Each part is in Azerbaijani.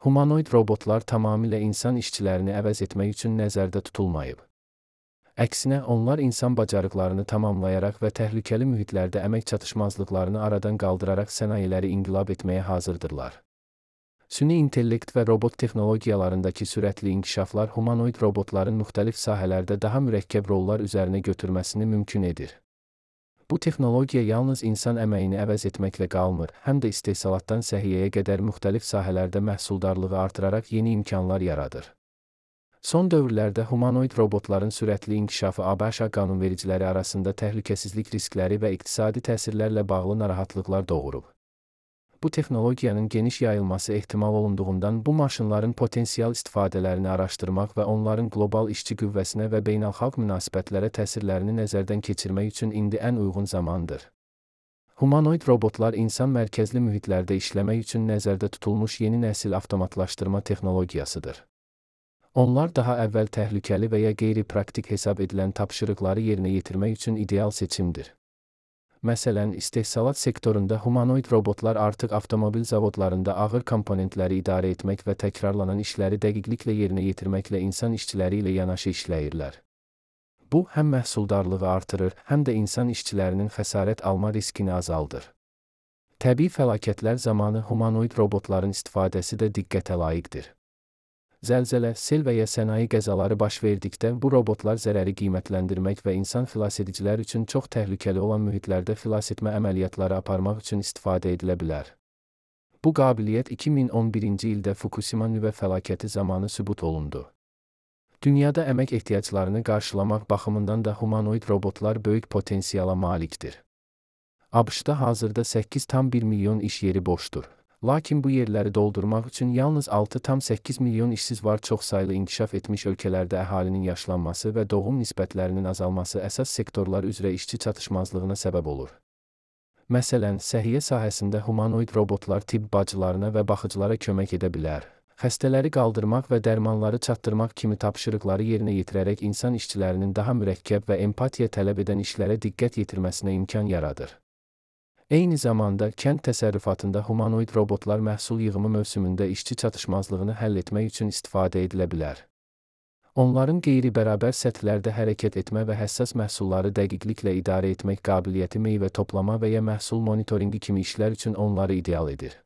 Humanoid robotlar tamamilə insan işçilərini əvəz etmək üçün nəzərdə tutulmayıb. Əksinə, onlar insan bacarıqlarını tamamlayaraq və təhlükəli mühitlərdə əmək çatışmazlıqlarını aradan qaldıraraq sənayeləri inqilab etməyə hazırdırlar. Süni intellekt və robot texnologiyalarındakı sürətli inkişaflar humanoid robotların müxtəlif sahələrdə daha mürəkkəb rollar üzərinə götürməsini mümkün edir. Bu texnologiya yalnız insan əməyini əvəz etməklə qalmır, həm də istehsalatdan səhiyyəyə qədər müxtəlif sahələrdə məhsuldarlığı artıraraq yeni imkanlar yaradır. Son dövrlərdə humanoid robotların sürətli inkişafı ABŞ qanunvericiləri arasında təhlükəsizlik riskləri və iqtisadi təsirlərlə bağlı narahatlıqlar doğurub. Bu texnologiyanın geniş yayılması ehtimal olunduğundan bu maşınların potensial istifadələrini araşdırmaq və onların qlobal işçi qüvvəsinə və beynəlxalq münasibətlərə təsirlərini nəzərdən keçirmək üçün indi ən uyğun zamandır. Humanoid robotlar insan mərkəzli mühitlərdə işləmək üçün nəzərdə tutulmuş yeni nəsil avtomatlaşdırma texnologiyasıdır. Onlar daha əvvəl təhlükəli və ya qeyri-praktik hesab edilən tapşırıqları yerinə yetirmək üçün ideal seçimdir. Məsələn, istehsalat sektorunda humanoid robotlar artıq avtomobil zavodlarında ağır komponentləri idarə etmək və təkrarlanan işləri dəqiqliklə yerinə yetirməklə insan işçiləri ilə yanaşı işləyirlər. Bu, həm məhsuldarlığı artırır, həm də insan işçilərinin xəsarət alma riskini azaldır. Təbii fəlakətlər zamanı humanoid robotların istifadəsi də diqqətə layiqdir. Zəlzələ, sel və ya sənaye qəzaları baş verdikdə bu robotlar zərəri qiymətləndirmək və insan xilasedicilər üçün çox təhlükəli olan mühitlərdə xilasetmə əməliyyatları aparmaq üçün istifadə edilə bilər. Bu qabiliyyət 2011-ci ildə Fukushima nüvə fəlakəti zamanı sübut olundu. Dünyada əmək ehtiyaclarını qarşılamaq baxımından da humanoid robotlar böyük potensiala malikdir. ABŞ-da hazırda 8,1 milyon iş yeri boşdur. Lakin bu yerləri doldurmaq üçün yalnız 6,8 milyon işsiz var. Çoxsaylı inkişaf etmiş ölkələrdə əhalinin yaşlanması və doğum nisbətlərinin azalması əsas sektorlar üzrə işçi çatışmazlığına səbəb olur. Məsələn, səhiyyə sahəsində humanoid robotlar tibb bacılarına və baxıcılara kömək edə bilər. Xəstələri qaldırmaq və dərmanları çatdırmaq kimi tapşırıqları yerinə yetirərək insan işçilərinin daha mürəkkəb və empatiya tələb edən işlərə diqqət yetirməsinə imkan yaradır. Eyni zamanda, kənd təsərrüfatında humanoid robotlar məhsul yığımı mövsümündə işçi çatışmazlığını həll etmək üçün istifadə edilə bilər. Onların qeyri-bərabər səthlərdə hərəkət etmə və həssas məhsulları dəqiqliklə idarə etmək qabiliyyəti meyvə toplama və ya məhsul monitoringi kimi işlər üçün onları ideal edir.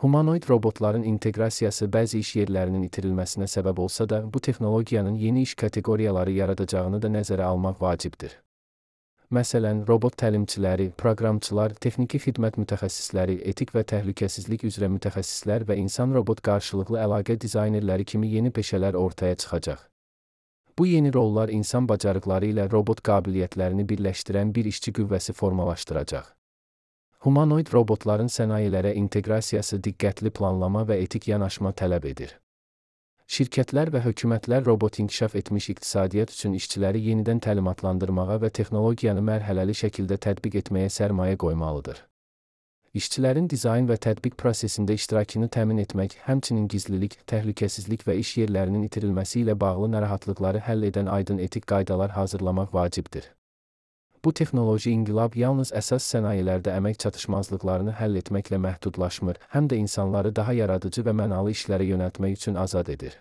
Humanoid robotların inteqrasiyası bəzi iş yerlərinin itirilməsinə səbəb olsa da, bu texnologiyanın yeni iş kateqoriyaları yaradacağını da nəzərə almaq vacibdir. Məsələn, robot təlimçiləri, proqramçılar, texniki xidmət mütəxəssisləri, etik və təhlükəsizlik üzrə mütəxəssislər və insan-robot qarşılıqlı əlaqə dizaynerləri kimi yeni peşələr ortaya çıxacaq. Bu yeni rollar insan bacarıqları ilə robot qabiliyyətlərini birləşdirən bir işçi qüvvəsi formalaşdıracaq. Humanoid robotların sənayelərə inteqrasiyası diqqətli planlama və etik yanaşma tələb edir. Şirkətlər və hökumətlər robot inkişaf etmiş iqtisadiyyat üçün işçiləri yenidən təlimatlandırmağa və texnologiyanı mərhələli şəkildə tətbiq etməyə sərmayə qoymalıdır. İşçilərin dizayn və tətbiq prosesində iştirakını təmin etmək, həmçinin gizlilik, təhlükəsizlik və iş yerlərinin itirilməsi ilə bağlı narahatlıqları həll edən aydın etik qaydalar hazırlamaq vacibdir. Bu texnoloji inqilab yalnız əsas sənayelərdə əmək çatışmazlıqlarını həll etməklə məhdudlaşmır, həm də insanları daha yaradıcı və mənalı işlərə yönəltmək üçün azad edir.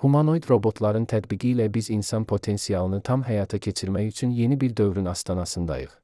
Humanoid robotların tətbiqi ilə biz insan potensialını tam həyata keçirmək üçün yeni bir dövrün astanasındayıq.